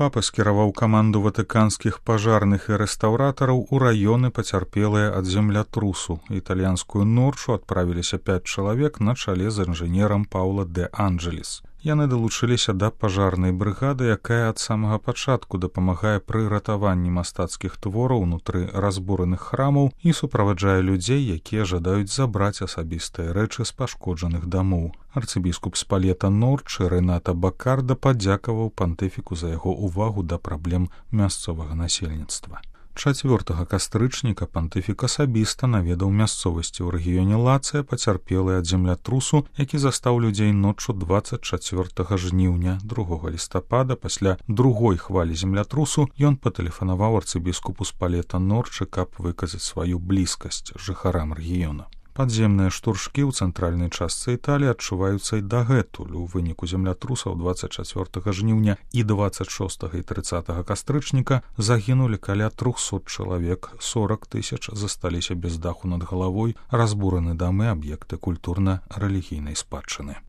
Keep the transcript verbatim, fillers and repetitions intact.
Папа скіраваў каманду ватыканскіх пажарных і рэстаўратараў у раёны, пацярпелыя ад землятрусу. Італьянскую ноччу адправіліся пяць чалавек на чале з інжынерам Паўла де Анджелес. Яны далучыліся да пажарнай брыгады, якая ад самага пачатку дапамагае пры ратаванні мастацкіх твораў унутры разбураных храмаў і суправаджае людзей, якія жадаюць забраць асабістыя рэчы з пашкоджаных дамоў. Арцыбіскуп Спалета Норчы Рэната Бакарда падзякаваў пантыфіку за яго ўвагу да праблем мясцовага насельніцтва. чацвёртага кастрычніка пантыфік асабіста наведаў мясцовасці ў рэгіёне Лацыя, пацярпелыя ад землятрусу, які застаў людзей ноччу дваццаць чацвёртага жніўня. другога лістапада пасля другой хвалі землятрусу ён патэлефанаваў арцыбіскупу Спалета Норчы, каб выказаць сваю блізкасць жыхарам рэгіёна. Падземныя штуршкі ў цэнтральнай частцы Італіі адчуваюцца і дагэтуль. У выніку землятрусаў дваццаць чацвёртага жніўня і дваццаць шостага і трыццатага кастрычніка загінулі каля трохсот чалавек, сорак тысяч засталіся без даху над галавой, разбураны дамы, аб'екты культурна-рэлігійнай спадчыны.